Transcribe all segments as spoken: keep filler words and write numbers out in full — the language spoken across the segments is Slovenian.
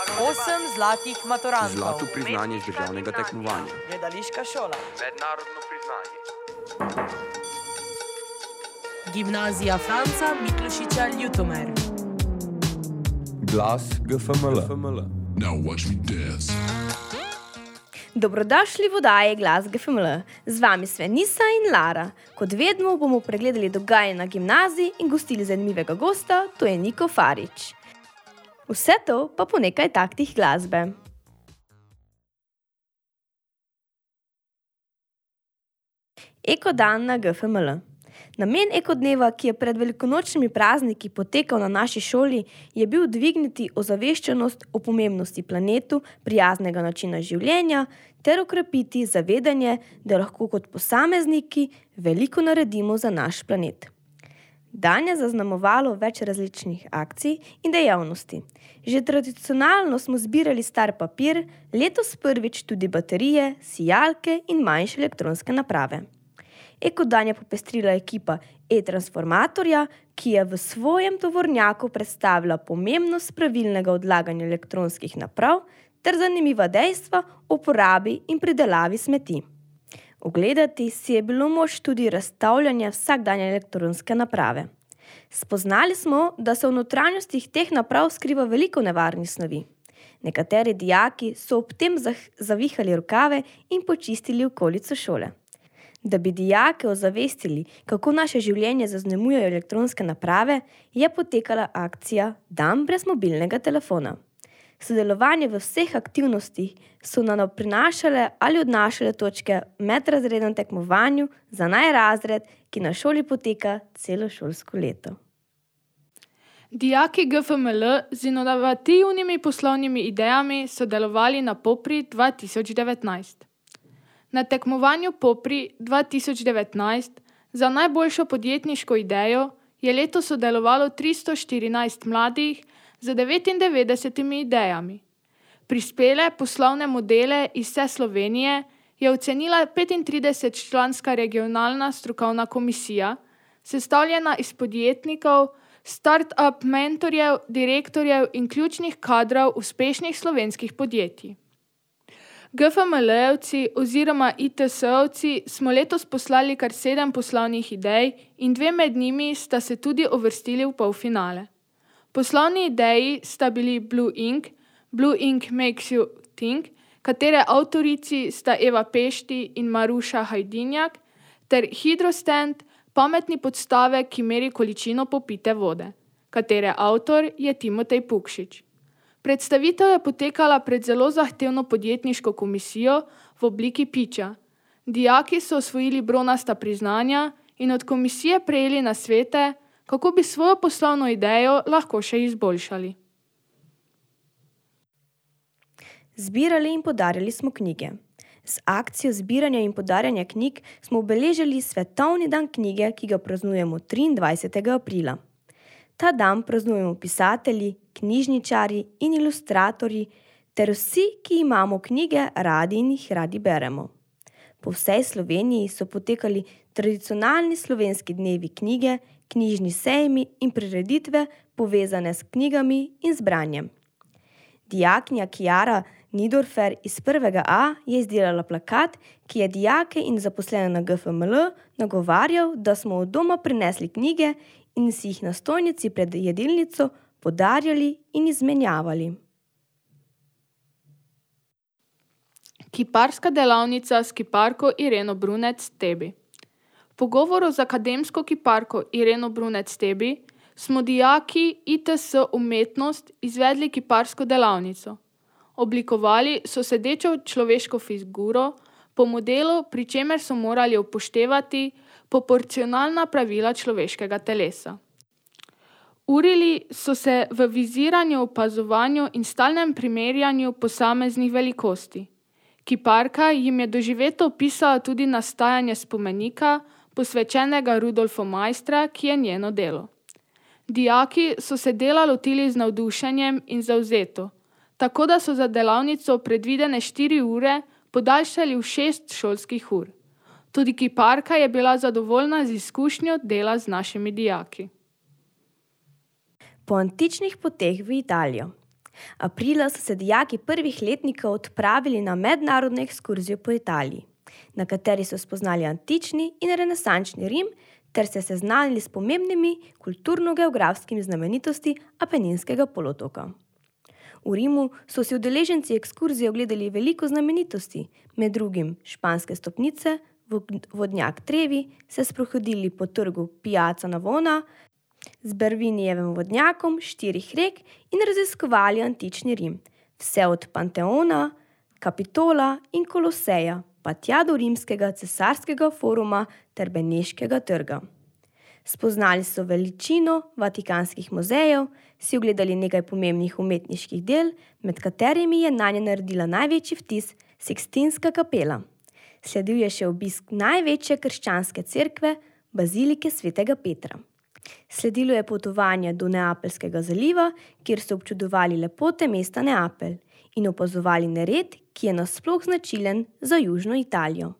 Osem zlatih maturantov. Zlato priznanje z državnega tekmovanja. Gledališka šola. Mednarodno priznanje. Gimnazija Franca Miklošiča Ljutomer. Glas G F M L. Now watch me dance. Dobrodošli v oddaji Glas G F M L. Z vami Svenisa in Lara. Kot vedno bomo pregledali dogajanje na gimnaziji in gostili zanimivega gosta, to je Niko Farič. Vse to pa po nekaj taktih glasbe. Eko dan na G F M L. Namen Eko dneva, ki je pred velikonočnimi prazniki potekal na naši šoli, je bil dvigniti ozaveščenost o pomembnosti planetu, prijaznega načina življenja ter okrepiti zavedanje, da lahko kot posamezniki veliko naredimo za naš planet. Dan je zaznamovalo več različnih akcij in dejavnosti. Že tradicionalno smo zbirali star papir, letos prvič tudi baterije, sijalke in manjše elektronske naprave. Eko dan je popestrila ekipa e-transformatorja, ki je v svojem tovornjaku predstavila pomembnost pravilnega odlaganja elektronskih naprav ter zanimiva dejstva o uporabi in pridelavi smeti. Ogledati si je bilo moč tudi razstavljanje vsakdanje elektronske naprave. Spoznali smo, da se v notranjostih teh naprav skriva veliko nevarnih snovi. Nekateri dijaki so ob tem zavihali rokave in počistili okolico šole. Da bi dijake ozavestili, kako naše življenje zaznamujejo elektronske naprave, je potekala akcija Dan brez mobilnega telefona. Sodelovanje v vseh aktivnostih so nam prinašale ali odnašale točke v medrazrednem tekmovanju za najrazred, ki na šoli poteka celo šolsko leto. Dijaki G F M L z inovativnimi poslovnimi idejami so delovali na Popri dva tisoč devetnajst. Na tekmovanju Popri dva tisoč devetnajst za najboljšo podjetniško idejo je letos sodelovalo tristo štirinajst mladih z devetindevetdesetimi idejami. Prispele poslovne modele iz vse Slovenije je ocenila petintridesetčlanska regionalna strokovna komisija, sestavljena iz podjetnikov, start-up mentorjev, direktorjev in ključnih kadrov uspešnih slovenskih podjetij. G F M L-evci oziroma I T S-ovci smo letos poslali kar sedem poslovnih idej in dve med njimi sta se tudi uvrstili v polfinale. Poslovni ideji sta bili Blue Ink, Blue Ink Makes You Think, katere avtorici sta Eva Pešti in Maruša Hajdinjak, ter Hydrostand, pametni podstavek, ki meri količino popite vode, katere avtor je Timotej Pukšič. Predstavitev je potekala pred zelo zahtevno podjetniško komisijo v obliki piča. Dijaki so osvojili bronasta priznanja in od komisije prejeli nasvete, kako bi svojo poslovno idejo lahko še izboljšali. Zbirali in podarjali smo knjige. Z akcijo zbiranja in podarjanja knjig smo obeležili Svetovni dan knjige, ki ga praznujemo triindvajsetega aprila. Ta dan praznujemo pisatelji, knjižničarji in ilustratorji ter vsi, ki imamo knjige radi in jih radi beremo. Po vsej Sloveniji so potekali tradicionalni slovenski dnevi knjige, knjižni sejmi in prireditve povezane s knjigami in z branjem. Dijakinja Kiara Nidorfer iz prvega A je izdelala plakat, ki je dijake in zaposlene na G F M L nagovarjal, da smo od doma prinesli knjige in si jih na stojnici pred jedilnico podarjali in izmenjavali. Kiparska delavnica s kiparko Ireno Brunec-Tebi. V pogovoru z akademsko kiparko Ireno Brunec-Tebi smo dijaki I T S umetnost izvedli kiparsko delavnico. Oblikovali so sedečo človeško figuro po modelu, pri čemer so morali upoštevati proporcionalna pravila človeškega telesa. Urili so se v viziranju, opazovanju in stalnem primerjanju posameznih velikosti. Kiparka jim je doživeto opisala tudi nastajanje spomenika, posvečenega Rudolfu Maistra, ki je njeno delo. Dijaki so se dela lotili z navdušenjem in zavzeto, tako da so za delavnico predvidene štiri ure podaljšali v šest šolskih ur. Tudi kiparka je bila zadovoljna z izkušnjo dela z našimi dijaki. Po antičnih poteh v Italijo. Aprila so se dijaki prvih letnikov odpravili na mednarodno ekskurzijo po Italiji, na kateri so spoznali antični in renesančni Rim ter se seznanili s pomembnimi kulturno-geografskimi znamenitosti Apeninskega polotoka. V Rimu so si udeleženci ekskurzije ogledali veliko znamenitosti, med drugim španske stopnice, vodnjak Trevi, se sprehodili po trgu Piazza Navona z Bervinijevim vodnjakom štirih rek in raziskovali antični Rim, vse od Panteona, Kapitola in Koloseja, pa tja do rimskega cesarskega foruma ter Beneškega trga. Spoznali so veličino vatikanskih muzejev, si ogledali nekaj pomembnih umetniških del, med katerimi je nanje naredila največji vtis Sikstinska kapela. Sledil je še obisk največje krščanske cerkve, bazilike svetega Petra. Sledilo je potovanje do Neapeljskega zaliva, kjer so občudovali lepote mesta Neapelj in opazovali nered, ki je nasploh značilen za južno Italijo.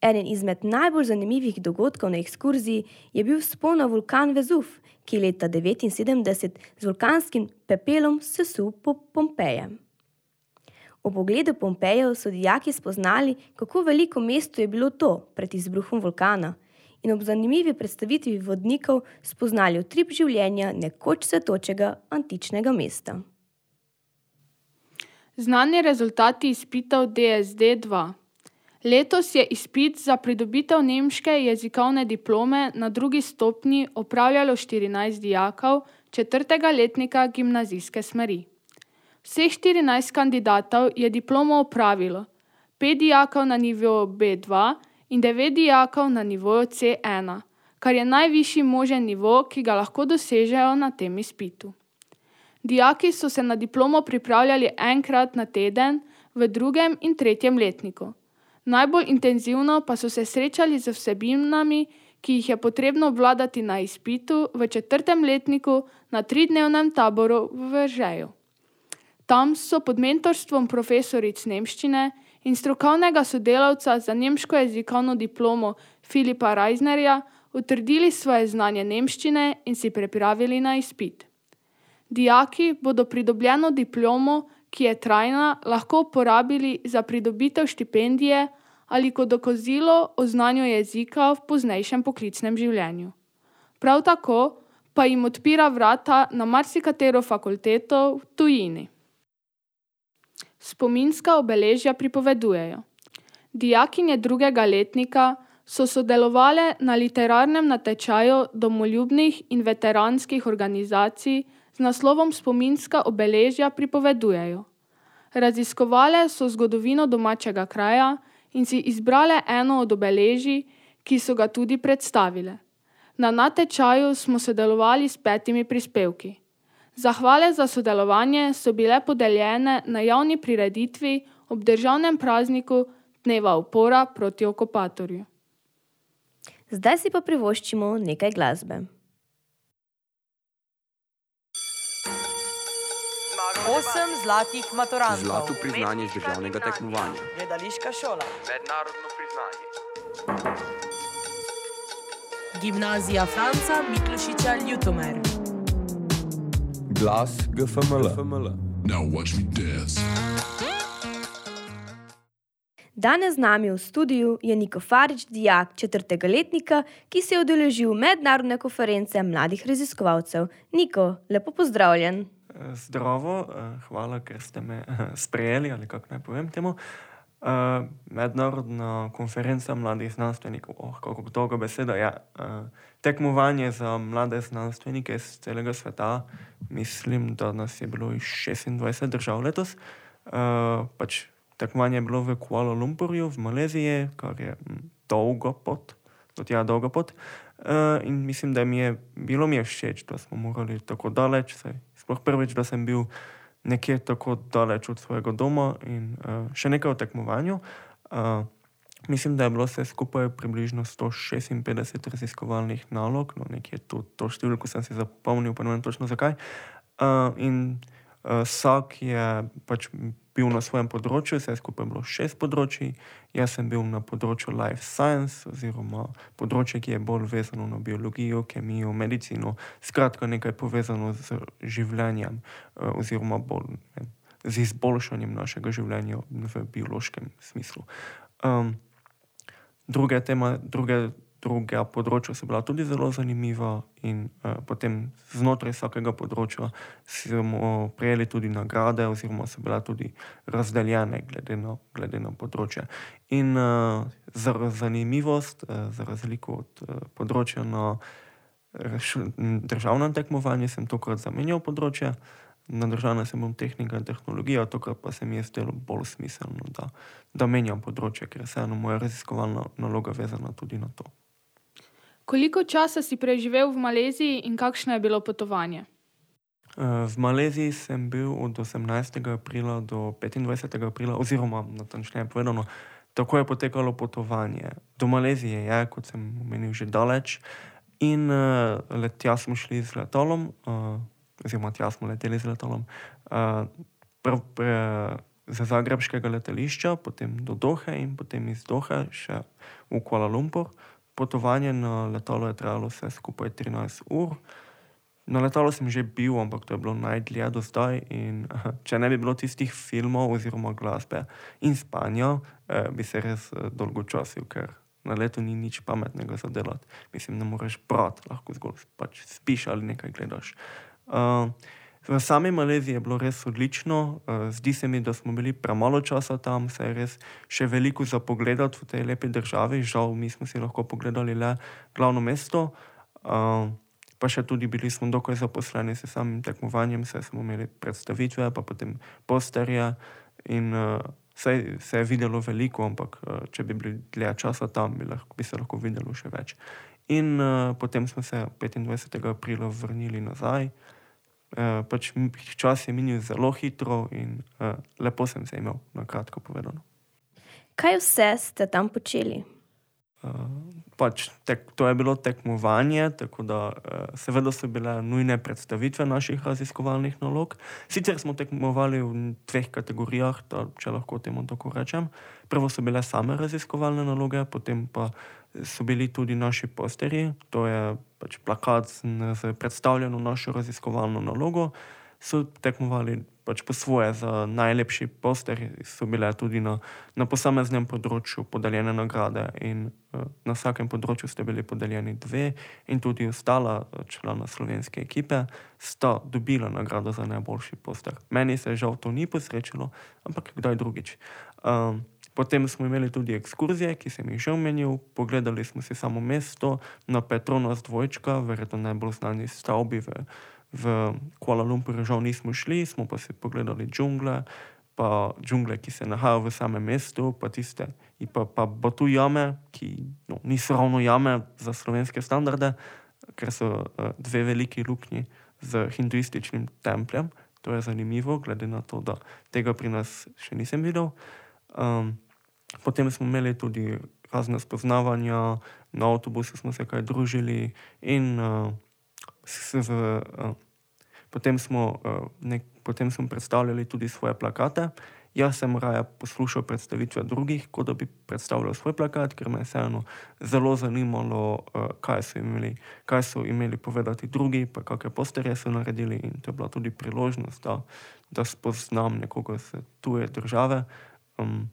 Eden izmed najbolj zanimivih dogodkov na ekskurziji je bil vzpon na vulkan Vezuv, ki je leta devetinsedemdeset z vulkanskim pepelom sesul po Pompeje. Ob ogledu Pompejev so dijaki spoznali, kako veliko mesto je bilo to pred izbruhom vulkana in ob zanimivi predstavitvi vodnikov spoznali utrip življenja nekoč cvetočega antičnega mesta. Znani rezultati izpitov D S D dva. Letos je izpit za pridobitev nemške jezikovne diplome na drugi stopnji opravljalo štirinajst dijakov četrtega letnika gimnazijske smeri. Vseh štirinajst kandidatov je diplomo opravilo, pet dijakov na nivoju B dva in devet dijakov na nivoju C ena, kar je najvišji možen nivo, ki ga lahko dosežejo na tem izpitu. Dijaki so se na diplomo pripravljali enkrat na teden v drugem in tretjem letniku. Najbolj intenzivno pa so se srečali z vsebinami, ki jih je potrebno obvladati na izpitu v četrtem letniku na tridnevnem taboru v Veržeju. Tam so pod mentorstvom profesoric nemščine in strokovnega sodelavca za nemško jezikovno diplomo Filipa Reisnerja utrdili svoje znanje nemščine in si pripravili na izpit. Dijaki bodo pridobljeno diplomo, ki je trajna, lahko uporabili za pridobitev štipendije ali kot dokazilo o znanju jezika v poznejšem poklicnem življenju. Prav tako pa jim odpira vrata na marsikatero fakulteto v tujini. Spominska obeležja pripovedujejo. Dijakinje drugega letnika so sodelovale na literarnem natečaju domoljubnih in veteranskih organizacij z naslovom Spominska obeležja pripovedujejo. Raziskovale so zgodovino domačega kraja in si izbrale eno od obeležij, ki so ga tudi predstavile. Na natečaju smo sodelovali s petimi prispevki. Zahvale za sodelovanje so bile podeljene na javni prireditvi ob državnem prazniku Dneva upora proti okupatorju. Zdaj si pa privoščimo nekaj glasbe. Osem zlatih maturantov. Zlato priznanje z državnega tekmovanja. Gledališka šola. Mednarodno priznanje. Gimnazija Franca Miklošiča Ljutomer. Glas G F M L. Now watch me dance. Danes z nami v studiu je Niko Farič, dijak četrtega letnika, ki se je udeležil mednarodne konference mladih raziskovalcev. Niko, lepo pozdravljen. Zdravo, hvala, ker ste me sprejeli, ali kako naj povem temu. Mednarodna konferenca mladih znanstvenikov, oh, kako dolga beseda, ja. Tekmovanje za mlade znanstvenike iz celega sveta, mislim, da nas je bilo iz šestindvajset držav letos. Pač tekmovanje je bilo v Kuala Lumpurju, v Maleziji, kar je dolga pot, do tja dolga pot. In mislim, da mi je bilo mi je všeč, da smo morali tako daleč, saj sploh prvič, da sem bil nekje tako daleč od svojega doma in uh, še nekaj o tekmovanju. Uh, mislim, da je bilo vse skupaj približno sto šestinpetdeset raziskovalnih nalog, no nekje to, to številko sem si zapomnil, pa ne vem točno zakaj. Uh, in uh, vsak je pač bil na svojem področju, vse skupaj je bilo šest področij. Jaz sem bil na področju life science, oziroma področje, ki je bolj vezano na biologijo, kemijo, medicino, skratka nekaj povezano z življenjem, oziroma bolj ne, z izboljšanjem našega življenja v biološkem smislu. Um, druge tema, druge Druga področja so bila tudi zelo zanimiva in uh, potem znotraj vsakega področja smo prejeli tudi nagrade oziroma so bila tudi razdeljene glede na, glede na področje. In uh, za zanimivost, uh, za razliko od uh, področja na državnem tekmovanju, sem tokrat zamenjal področje. Na državnem sem bil tehnika in tehnologija, tokrat pa se mi je zdelo bolj smiselno, da, da menjam področje, ker je vseeno moja raziskovalna naloga vezana tudi na to. Koliko časa si preživel v Maleziji in kakšno je bilo potovanje? V Maleziji sem bil od osemnajstega aprila do petindvajsetega aprila, oziroma natančneje povedano, tako je potekalo potovanje. Do Malezije je, kot sem omenil, že daleč in uh, let, tja smo šli z letalom, uh, oziroma tja smo leteli z letalom, uh, pr, pr, z zagrebškega letališča, potem do Dohe in potem iz Dohe še v Kuala Lumpur. Potovanje na letalo je trajalo vse skupaj trinajst ur. Na letalo sem že bil, ampak to je bilo najdlje do zdaj in če ne bi bilo tistih filmov oziroma glasbe in spanja, eh, bi se res eh, dolgočasil, ker na letu ni nič pametnega za delati. Mislim, ne moreš brati, lahko zgolj pač spiš ali nekaj gledaš. Uh, v sami Maleziji je bilo res odlično. Uh, zdi se mi, da smo bili premalo časa tam, se je res še veliko za pogledati v tej lepi državi. Žal, mi smo si lahko pogledali le glavno mesto. Uh, pa še tudi bili smo dokaj zaposleni s samim tekmovanjem, saj smo imeli predstavitve, pa potem posterje in uh, se, se je videlo veliko, ampak uh, če bi bili dlje časa tam, bi, lahko, bi se lahko videlo še več. In uh, potem smo se petindvajsetega aprila vrnili nazaj. Uh, pač čas je minil zelo hitro in uh, lepo sem se imel, na kratko povedano. Kaj vse ste tam počeli? Uh, pač tek, to je bilo tekmovanje, tako da uh, seveda so bile nujne predstavitve naših raziskovalnih nalog. Sicer smo tekmovali v dveh kategorijah, da, če lahko temu tako rečem. Prvo so bile same raziskovalne naloge, potem pa so bili tudi naši posterji, to je pač plakat z predstavljeno našo raziskovalno nalogo. So tekmovali pač po svoje za najlepši poster, so bile tudi na, na posameznem področju podeljene nagrade in uh, na vsakem področju ste bili podeljeni dve in tudi ostala člana slovenske ekipe sta dobila nagrado za najboljši poster. Meni se žal to ni posrečilo, ampak kdaj drugič. Um, Potem smo imeli tudi ekskurzije, ki sem jih že omenil. Pogledali smo si samo mesto na Petronas dvojčka, verjetno najbolj znani stavbi v, v Kuala Lumpuru. Žal nismo šli, smo pa si pogledali džungle, pa džungle, ki se nahajajo v samem mestu, pa tiste, pa, pa Batu jame, ki no, niso ravno jame za slovenske standarde, ker so uh, dve veliki luknji z hinduističnim templjem. To je zanimivo, glede na to, da tega pri nas še nisem videl. Um, Potem smo imeli tudi razne spoznavanja, na avtobusu smo se kaj družili in uh, s, v, uh, potem, smo, uh, nek, potem smo predstavljali tudi svoje plakate. Jaz sem raje poslušal predstavitve drugih, kot da bi predstavljal svoj plakat, ker me je vseeno zelo zanimalo, uh, kaj so imeli, kaj so imeli povedati drugi, pa kakšne posterje so naredili in to je bila tudi priložnost, da, da spoznam nekoga iz tuje države. Um,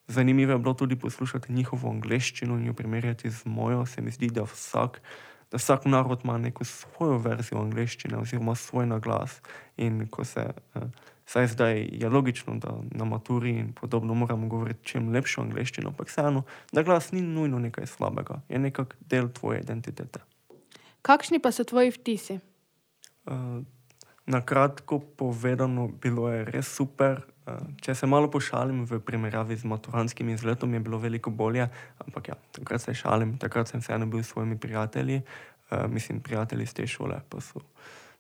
Zanimivo je bilo tudi poslušati njihovo angleščino in jo primerjati z mojo. Se mi zdi, da vsak, da vsak narod ima neko svojo verzijo angleščine oziroma svoj naglas. In ko se, eh, saj zdaj je logično, da na maturi in podobno moramo govoriti čim lepšo angleščino, ampak vseeno, da glas ni nujno nekaj slabega, je nekak del tvoje identitete. Kakšni pa so tvoji vtisi? Uh, na kratko povedano, bilo je res super. Če se malo pošalim v primerjavi z maturantskim izletom, je bilo veliko bolje, ampak ja, takrat se šalim, takrat sem vseeno bil s svojimi prijatelji, uh, mislim, prijatelji iz te šole, pa so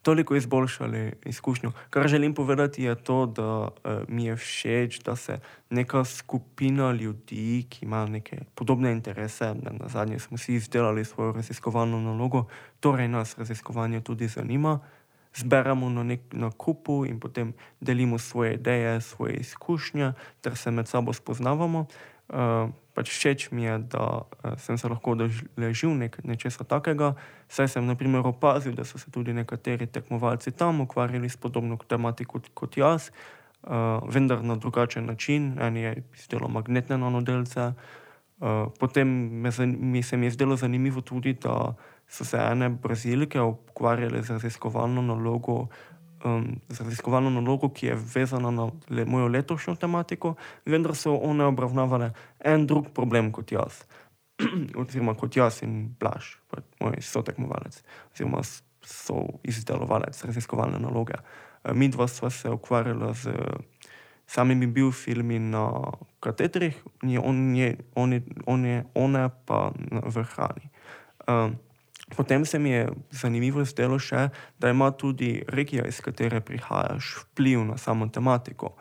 toliko izboljšali izkušnjo. Kar želim povedati je to, da uh, mi je všeč, da se neka skupina ljudi, ki ima neke podobne interese, na zadnje smo si izdelali svojo raziskovalno nalogo, torej nas raziskovanje tudi zanima, zberemo na nek na kupu in potem delimo svoje ideje, svoje izkušnje, ter se med sabo spoznavamo. Uh, pač všeč mi je, da uh, sem se lahko udeležil nek, nečesa takega, saj sem na primer opazil, da so se tudi nekateri tekmovalci tam ukvarjali s podobno tematiko kot, kot jaz, uh, vendar na drugačen način. En je izdelo magnetne nanodelce. Uh, potem me, mi se mi je zdelo zanimivo tudi, da so se ene Brazilke ukvarjale z raziskovalno nalogo, um, z raziskovalno nalogo, ki je vezana na le, mojo letošnjo tematiko, vendar so one obravnavale en drug problem kot jaz, oziroma kot jaz in Blaž, moj sotekmovalec, oziroma so izdelovalec raziskovalne naloge. Uh, mi dva sva se ukvarjala z samimi biofilmi na katetrih, on je, on je, on je, one pa v hrani. Um, potem se mi je zanimivo zdelo še, da ima tudi regija, iz katere prihajaš, vpliv na samo tematiko.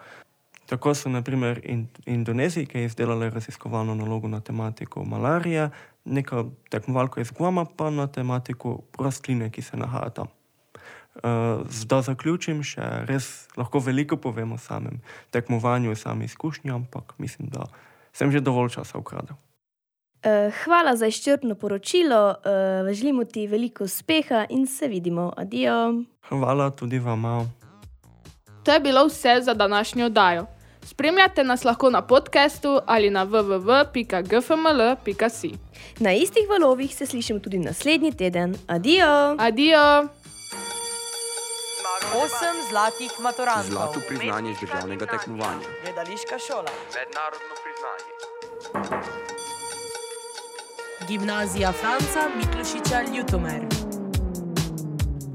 Tako so na primer in, Indonezijke izdelale raziskovalno nalogo na tematiko malarije, neka tekmovalka iz Guama pa na tematiko rastline, ki se nahaja tam. Uh, da zaključim, še res lahko veliko povem o samem tekmovanju, o sami izkušnji, ampak mislim, da sem že dovolj časa ukradel. Uh, hvala za izčrpno poročilo, uh, želimo ti veliko uspeha in se vidimo. Adijo. Hvala tudi vama. To je bilo vse za današnjo oddajo. Spremljate nas lahko na podcastu ali na w w w pika g f m l pika s i. Na istih valovih se slišimo tudi naslednji teden. Adijo. Adijo. Osem zlatih maturantov. Zlato priznanje iz državnega tekmovanja. Gledališka šola. Mednarodno priznanje. Gimnazija Franca Miklošiča Ljutomer.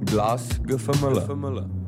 Glas G F M L.